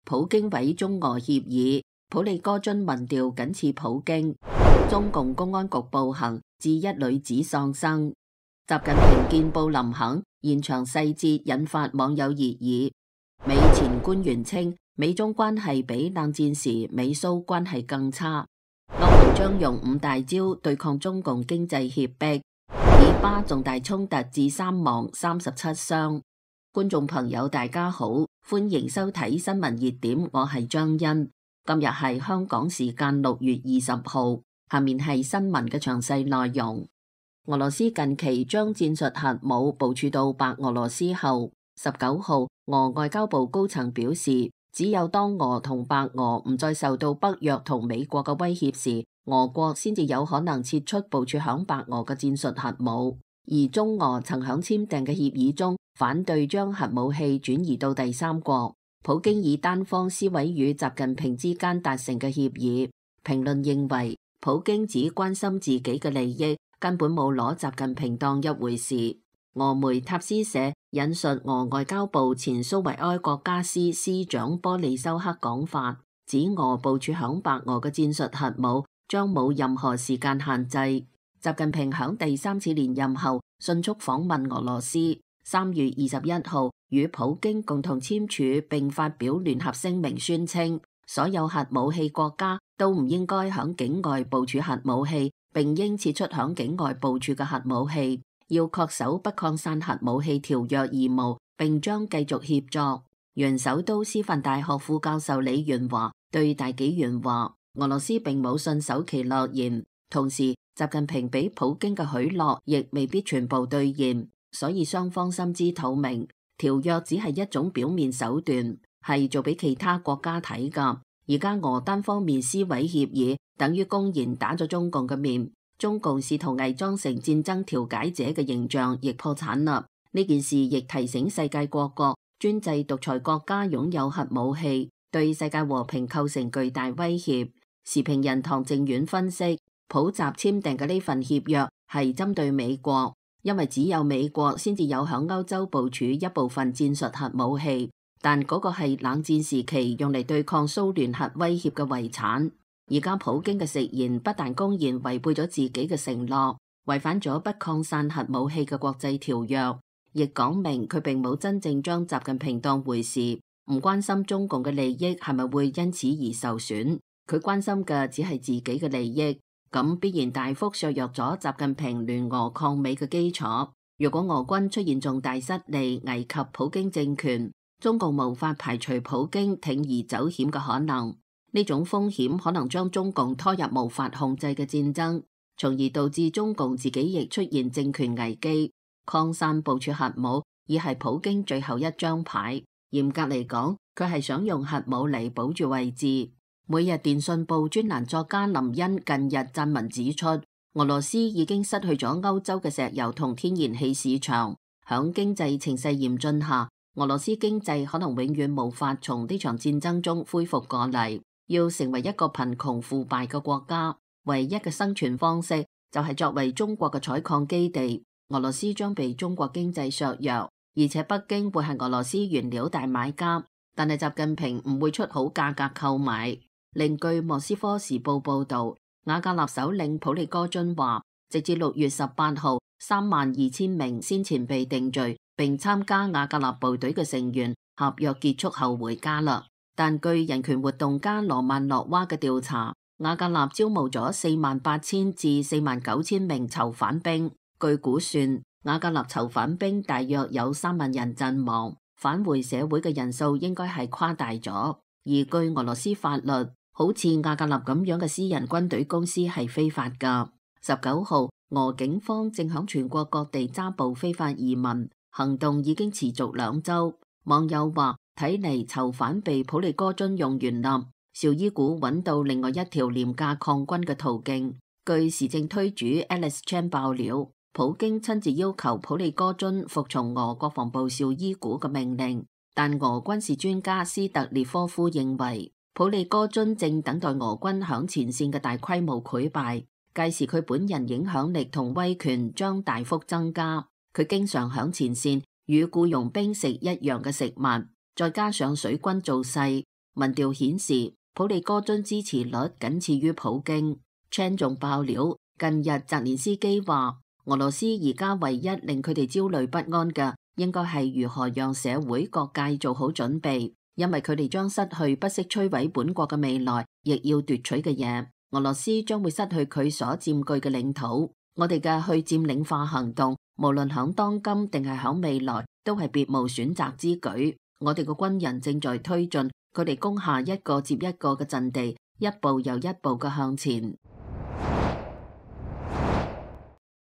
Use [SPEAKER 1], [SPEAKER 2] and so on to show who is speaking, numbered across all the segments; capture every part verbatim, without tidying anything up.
[SPEAKER 1] 普京毀中俄協議，普利戈津民調僅次普京。中共公安局暴行致一女子喪生。習近平見布林肯，現場細節引發網友熱議。美前官員稱，美中關係比冷戰時美蘇關係更差。歐盟將用五大招對抗中共經濟脅迫。以巴重大衝突致三亡三十七傷。觀眾朋友大家好，歡迎收睇新聞熱點，我係張欣。今日係香港時間六月二十號。下面係新聞嘅詳細內容。俄羅斯近期將戰術核武部署到白俄羅斯後，十九號俄外交部高層表示，只有當俄同白俄唔再受到北約同美國嘅威脅時，俄國先至有可能撤出部署響白俄嘅戰術核武。而中俄曾響簽訂嘅協議中反對將核武器轉移到第三國。普京以單方撕毀與習近平之間達成嘅協議。評論認為，普京只關心自己嘅利益，根本冇攞習近平當一回事。俄媒塔斯社引述俄外交部前蘇維埃國家司司長波利修克講法，指俄部署響白俄嘅戰術核武將冇任何時間限制。習近平響第三次連任後迅速訪問俄羅斯，三月二十一號與普京共同簽署並發表聯合聲明，宣稱所有核武器國家都唔應該響境外部署核武器，並應撤出響境外部署嘅核武器，要恪守不擴散核武器條約義務，並將繼續協作。原首都師範大學副教授李元華對大紀元話，俄羅斯並冇信守其諾言，同時習近平俾普京嘅許諾亦未必全部兌現，所以雙方心知肚明，條約只係一種表面手段，係做俾其他國家睇噶。而家俄單方面撕毀協議，等於公然打咗中共嘅面。中共試圖偽裝成戰爭調解者嘅形象，亦破產啦。呢件事亦提醒世界各國，專制獨裁國家擁有核武器，對世界和平構成巨大威脅。時評人唐正遠分析，普習簽訂嘅呢份協約係針對美國，因為只有美國先至有響歐洲部署一部分戰術核武器。但嗰個係冷戰時期用嚟對抗蘇聯核威脅嘅遺產。而家普京嘅食言不但公然違背咗自己嘅承諾，違反咗不擴散核武器嘅國際條約，亦講明佢並冇真正將習近平當回事，唔關心中共嘅利益係咪會因此而受損。佢關心嘅只係自己嘅利益，咁必然大幅削弱咗習近平聯俄抗美嘅基礎。如果俄軍出現重大失利，危及普京政權，中共無法排除普京鋌而走險嘅可能，呢種風險可能將中共拖入無法控制嘅戰爭，從而導致中共自己亦出現政權危機。擴散部署核武已係普京最後一張牌，嚴格嚟講，佢係想用核武嚟保住位置。每日電訊報專欄作家林恩近日撰文指出，俄羅斯已經失去咗歐洲嘅石油同天然氣市場，響經濟情勢嚴峻下，俄羅斯經濟可能永遠無法從呢場戰爭中恢復過嚟，要成為一個貧窮腐敗嘅國家，唯一嘅生存方式就係作為中國嘅採礦基地。俄羅斯將被中國經濟削弱，而且北京會係俄羅斯原料大買家，但係習近平唔會出好價格購買。另據莫斯科時報報道，瓦格納首領普利戈津話，直至六月十八號，三萬二千名先前被定罪並參加瓦格納部隊嘅成員合約結束後回家啦。但據人權活動家羅曼諾娃嘅調查，瓦格納招募咗四萬八千至四萬九千名囚犯兵。據估算，瓦格納囚犯兵大約有三萬人陣亡，返回社會嘅人數應該係誇大咗。而據俄羅斯法律，好似瓦格納咁樣嘅私人軍隊公司係非法噶。十九號，俄警方正響全國各地抓捕非法移民。行動已經持續兩週，網友話睇嚟囚犯被普利戈津用完啦。紹伊古揾到另外一條廉價抗軍嘅途徑。據時政推主 Alex Chan 爆料，普京親自要求普利戈津服從俄國防部紹伊古嘅命令，但俄軍事專家斯特列科夫認為，普利戈津正等待俄軍響前線嘅大規模潰敗，屆時佢本人影響力同威權將大幅增加。佢經常響前線與僱傭兵食一樣嘅食物，再加上水軍造勢，民調顯示普利戈津支持率僅次於普京。Chan 仲爆料，近日澤連斯基話，俄羅斯而家唯一令佢哋焦慮不安嘅，應該係如何讓社會各界做好準備，因為佢哋將失去不惜摧毀本國嘅未來，亦要奪取嘅嘢。俄羅斯將會失去佢所佔據嘅領土。我哋嘅去佔領化行動，無論響當今定係響未來，都係別無選擇之舉。我哋嘅軍人正在推進，佢哋攻下一個接一個嘅陣地，一步又一步嘅向前。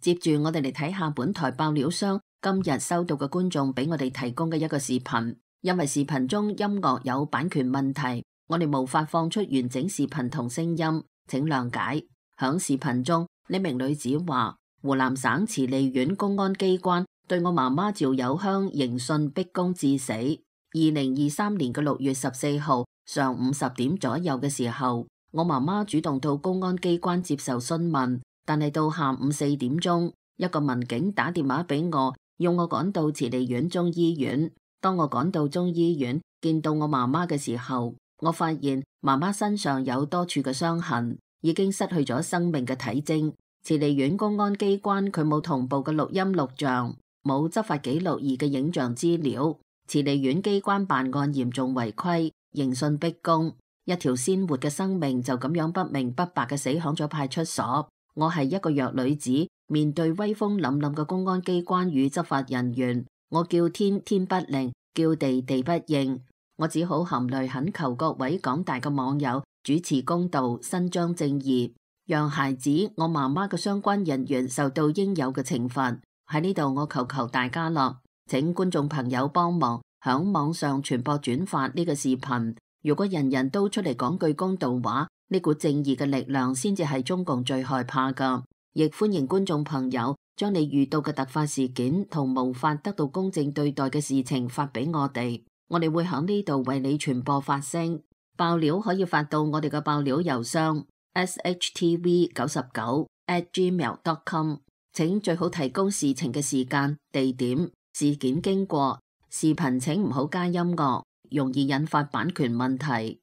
[SPEAKER 1] 接住我哋嚟睇下本台爆料箱今日收到嘅觀眾俾我哋提供嘅一個視頻，因為視頻中音樂有版權問題，我哋無法放出完整視頻同聲音，請諒解。響視頻中，呢名女子話，湖南省慈利縣公安機關對我媽媽趙有香刑訊逼供致死。二零二三年嘅六月十四號上午十點左右嘅時候，我媽媽主動到公安機關接受詢問，但係到下午四點鐘，一個民警打電話俾我，要我趕到慈利縣中醫院。當我趕到中醫院，見到我媽媽嘅時候，我發現媽媽身上有多處嘅傷痕，已經失去咗生命嘅體徵。慈利縣公安機關佢冇同步嘅錄音錄像，冇執法記錄儀嘅影像資料。慈利縣機關辦案嚴重違規，刑訊逼供，一條鮮活嘅生命就咁樣不明不白嘅死響咗派出所。我係一個弱女子，面對威風凜凜嘅公安機關與執法人員，我叫天天不靈，叫地地不應，我只好含淚懇求各位廣大嘅網友主持公道，伸張正義，讓孩子我媽媽嘅相關人員受到應有嘅懲罰。喺呢度我求求大家啦，請觀眾朋友幫忙響網上傳播轉發呢個視頻。如果人人都出嚟講句公道話，呢股正義嘅力量先至係中共最害怕噶。亦歡迎觀眾朋友將你遇到嘅突發事件同無法得到公正對待嘅事情發俾我哋，我哋會響呢度為你傳播發聲。爆料可以發到我哋嘅爆料郵箱 s h t v 九十九 at gmail dot com， 請最好提供事情嘅時間、地點、事件經過。視頻請唔好加音樂，容易引發版權問題。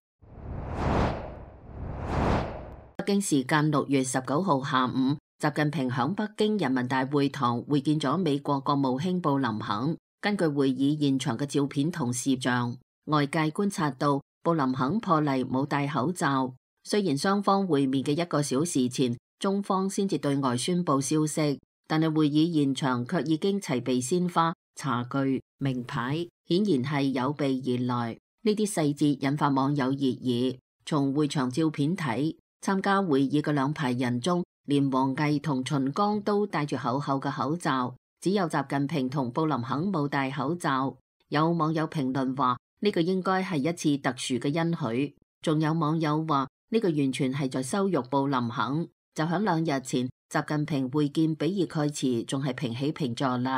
[SPEAKER 1] 北京時間六月十九號下午，習近平響北京人民大會堂會見咗美國國務卿布林肯。根據會議現場嘅照片同視像，外界觀察到布林肯破例冇戴口罩。雖然雙方會面嘅一個小時前，中方先至對外宣布消息，但係會議現場卻已經齊備鮮花、茶具、名牌，顯然係有備而來。呢啲細節引發網友熱議。從會場照片睇，參加會議嘅兩排人中，連王毅同秦剛都戴住厚厚嘅口罩，只有習近平同布林肯冇戴口罩。有網友評論話呢個應該係一次特殊嘅恩許，仲有網友話呢個完全係在羞辱布林肯。就響兩日前，習近平會見比爾蓋茨仲係平起平坐立。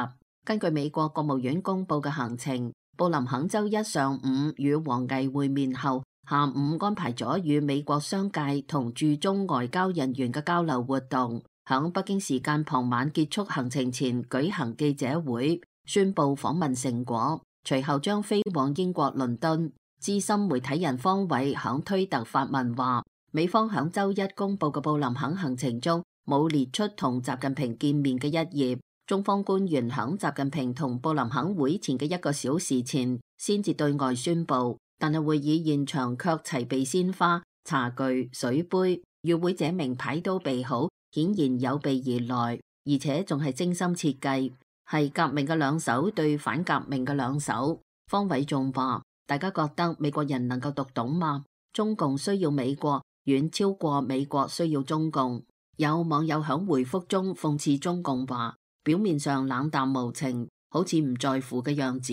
[SPEAKER 1] 根據美國國務院公布嘅行程，布林肯周一上午與王毅會面後，下午安排咗與美國商界同駐中外交人員嘅交流活動，響北京時間傍晚結束行程前舉行記者會，宣布訪問成果，隨後將飛往英國倫敦。資深媒體人方偉響推特發文話，美方響周一公布嘅布林肯行程中冇列出同習近平見面嘅一頁，中方官員響習近平同布林肯會前嘅一個小時前先至對外宣布。但係會議現場卻齊備鮮花、茶具、水杯，與會者名牌都備好，顯然有備而來，而且仲係精心設計，係革命嘅兩手對反革命嘅兩手。方偉仲話：大家覺得美國人能夠讀懂嗎？中共需要美國，遠超過美國需要中共。有網友響回覆中諷刺中共話：表面上冷淡無情，好似唔在乎嘅樣子，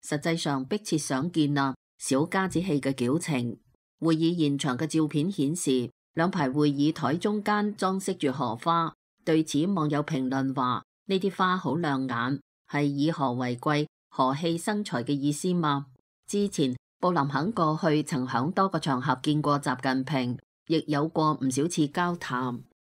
[SPEAKER 1] 實際上迫切想見啊！小家子氣嘅矯情。會議現場嘅照片顯示，兩排會議台中間裝飾住荷花。對此，網友評論話：呢啲花好亮眼，係以和為貴，和氣生財嘅意思嗎？之前布林肯過去曾響多個場合見過習近平，亦有過唔少次交談。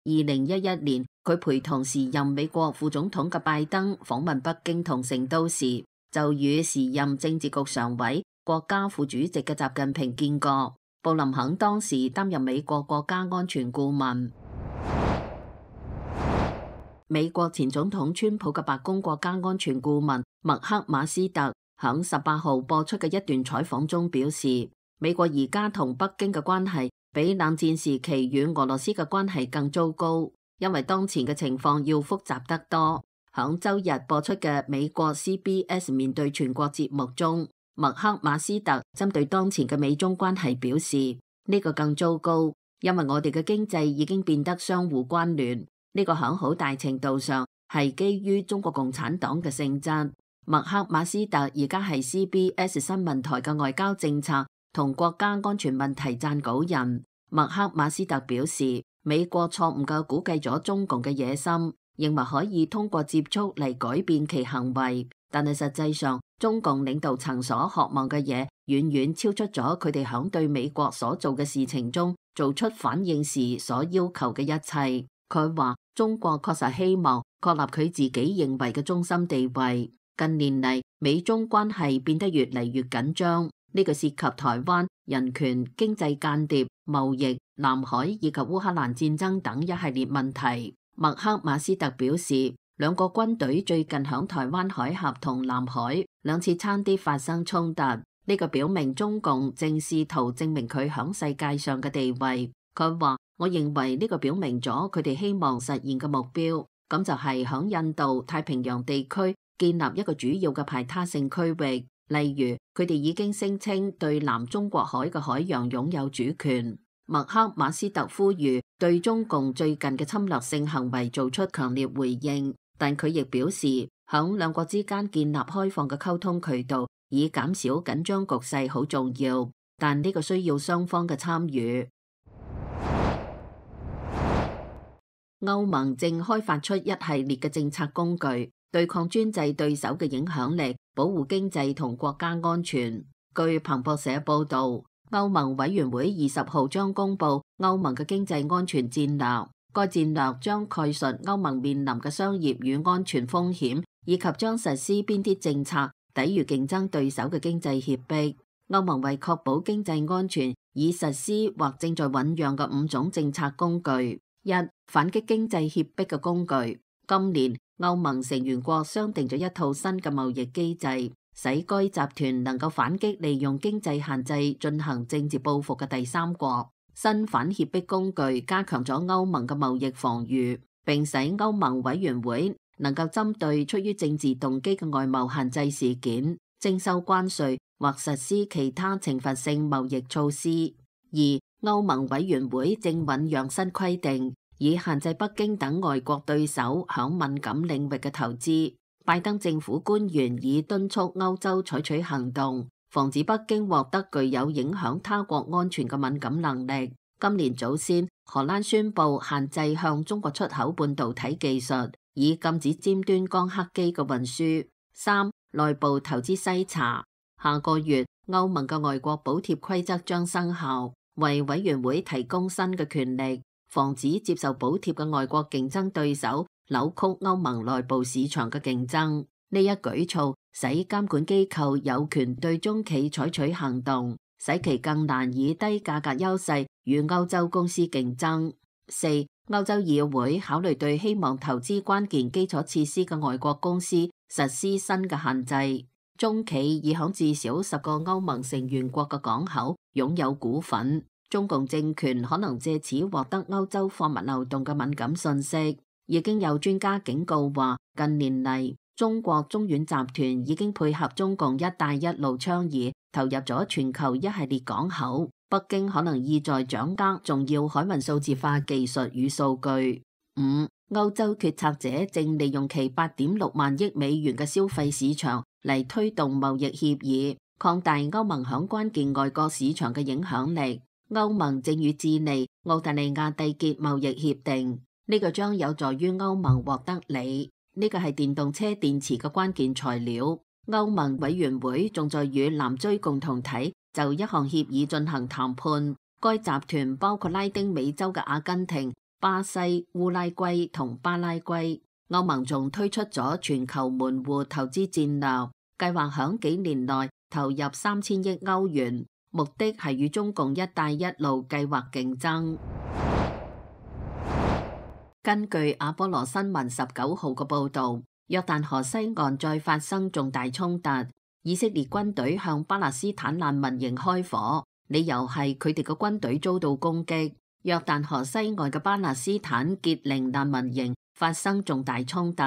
[SPEAKER 1] 二零一一年，佢陪同時任美國副總統嘅拜登訪問北京同成都時，就與時任政治局常委國家副主席嘅習近平見過。布林肯當時擔任美國國家安全顧問。美國前總統川普嘅白宮國家安全顧問麥克馬斯特響十八號播出嘅一段採訪中表示，美國而家同北京嘅關係比冷戰時期與俄羅斯嘅關係更糟糕，因為當前嘅情況要複雜得多。響周日播出嘅美國 C B S 面對全國節目中，麥克馬斯特針對當前嘅美中關係表示，呢個更糟糕，因為我哋嘅經濟已經變得相互關聯，呢個響好大程度上係基於中國共產黨嘅性質。麥克馬斯特而家係 C B S 新聞台嘅外交政策同國家安全問題撰稿人。麥克馬斯特表示，美國錯誤嘅估計咗中共嘅野心，認為可以通過接觸嚟改變其行為，但係實際上中共領導層所渴望嘅嘢遠遠超出咗佢哋響對美國所做嘅事情中做出反應時所要求嘅一切。佢話中國確實希望確立佢自己認為嘅中心地位。近年嚟，美中關係變得越嚟越緊張，呢個涉及台灣、人權、經濟間諜、貿易、南海以及烏克蘭戰爭等一系列問題。麥克馬斯特表示，兩個軍隊最近響台灣海峽同南海兩次差啲發生衝突，呢個表明中共正試圖證明佢響世界上嘅地位。佢話，我認為呢個表明咗佢哋希望實現嘅目標，咁就係響印度太平洋地區建立一個主要嘅排他性區域，例如佢哋已經聲稱對南中國海嘅海洋擁有主權。麥克馬斯特呼籲對中共最近嘅侵略性行為做出強烈回應，但佢亦表示響兩國之間建立開放嘅溝通渠道以減少緊張局勢好重要，但呢個需要雙方嘅參與。歐盟正開發出一系列嘅政策工具，對抗專制對手嘅影響力，保護經濟同國家安全。據彭博社報道，歐盟委員會二十號將公布歐盟嘅經濟安全戰略，該戰略將概述歐盟面臨嘅商業與安全風險，以及將實施邊啲政策抵禦競爭對手嘅經濟脅迫。歐盟為確保經濟安全，已實施或正在醞釀嘅五種政策工具。一、反擊經濟脅迫嘅工具。今年歐盟成員國商定咗一套新嘅貿易機制，使該集團能夠反擊利用經濟限制進行政治報復嘅第三國。新反脅迫工具加強咗歐盟嘅貿易防禦，並使歐盟委員會能夠針對出於政治動機嘅外貿限制事件徵收關稅或實施其他懲罰性貿易措施。二、歐盟委員會正醞釀新規定，以限制北京等外國對手響敏感領域嘅投資。拜登政府官員已敦促歐洲採取行動，防止北京獲得具有影響他國安全嘅敏感能力。今年早先，荷蘭宣布限制向中國出口半導體技術，以禁止尖端光刻機嘅運輸。三、內部投資篩查。下個月，歐盟嘅外國補貼規則將生效，為委員會提供新嘅權力，防止接受補貼嘅外國競爭對手扭曲歐盟內部市場嘅競爭。呢一舉措使監管機構有權對中企採取行動，使其更難以低價格優勢與歐洲公司競爭。四、歐洲議會考慮對希望投資關鍵基礎設施嘅外國公司實施新嘅限制。中企已響至少十個歐盟成員國嘅港口擁有股份。中共政權可能借此獲得歐洲貨物流動嘅敏感信息。已經有專家警告話，近年嚟中國中遠集團已經配合中共一帶一路倡議，投入咗全球一系列港口。北京可能意在掌握重要海運數字化技術與數據。五、歐洲決策者正利用其八點六萬億美元嘅消費市場嚟推動貿易協議，擴大歐盟響關鍵外國市場嘅影響力。歐盟正與智利、澳大利亞締結貿易協定，呢個將有助於歐盟獲得利。呢個係電動車電池嘅關鍵材料。歐盟委員會仲在與南追共同體就一項協議進行談判。該集團包括拉丁美洲嘅阿根廷、巴西、烏拉圭同巴拉圭。歐盟仲推出咗全球門戶投資戰略，計劃響幾年內投入三千億歐元，目的係與中共一帶一路計劃競爭。根據阿波羅新聞十九號嘅報導，約旦河西岸再發生重大衝突，以色列軍隊向巴勒斯坦難民營開火，理由係佢哋嘅軍隊遭到攻擊。約旦河西岸嘅巴勒斯坦傑寧難民營發生重大衝突，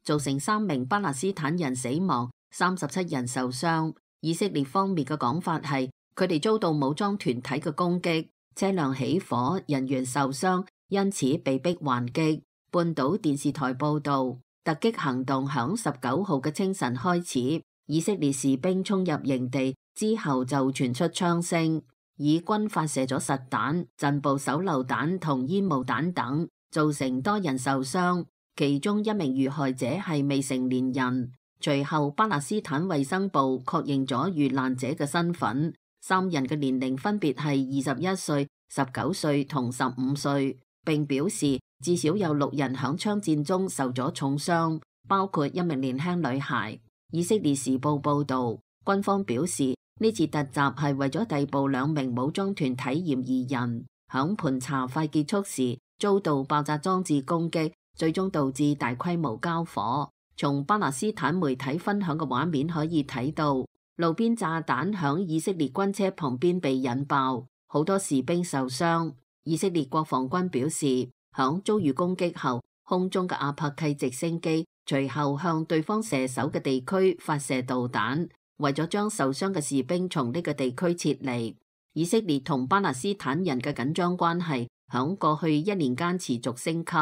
[SPEAKER 1] 造成三名巴勒斯坦人死亡，三十七人受傷。以色列方面嘅講法係，佢哋遭到武裝團體嘅攻擊，車輛起火，人員受傷，因此被迫還擊。半島電視台報導，突擊行動響十九號嘅清晨開始，以色列士兵衝入營地之後就傳出槍聲。以軍發射咗實彈、陣步手榴彈同煙霧彈等，造成多人受傷，其中一名遇害者係未成年人。隨後巴勒斯坦衛生部確認咗遇難者嘅身份，三人嘅年齡分別係二十一歲、十九歲同十五歲，並表示至少有六人響槍戰中受咗重傷，包括一名年輕女孩。以色列時報報導，軍方表示，呢次突襲係為咗逮捕兩名武裝團體嫌疑人，響盤查快結束時遭到爆炸裝置攻擊，最終導致大規模交火。從巴勒斯坦媒體分享嘅畫面可以睇到，路邊炸彈響以色列軍車旁邊被引爆，好多士兵受傷。以色列國防軍表示，響遭遇攻擊後，空中嘅阿帕契直升機隨後向對方射手嘅地區發射導彈，為咗將受傷嘅士兵從呢個地區撤離。以色列同巴勒斯坦人嘅緊張關係響過去一年間持續升級，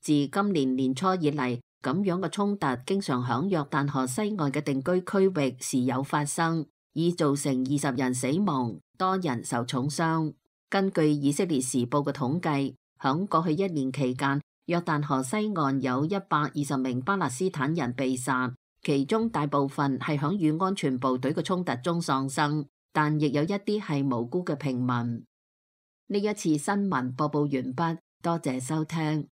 [SPEAKER 1] 自今年年初以嚟，咁樣嘅衝突經常響約旦河西岸嘅定居區域時有發生，已造成二十人死亡，多人受重傷。根據以色列時報嘅統計，響過去一年期間，約旦河西岸有一百二十名巴勒斯坦人被殺，其中大部分係響與安全部隊嘅衝突中喪生，但亦有一啲係無辜嘅平民。呢一次新聞播報完畢，多謝收聽。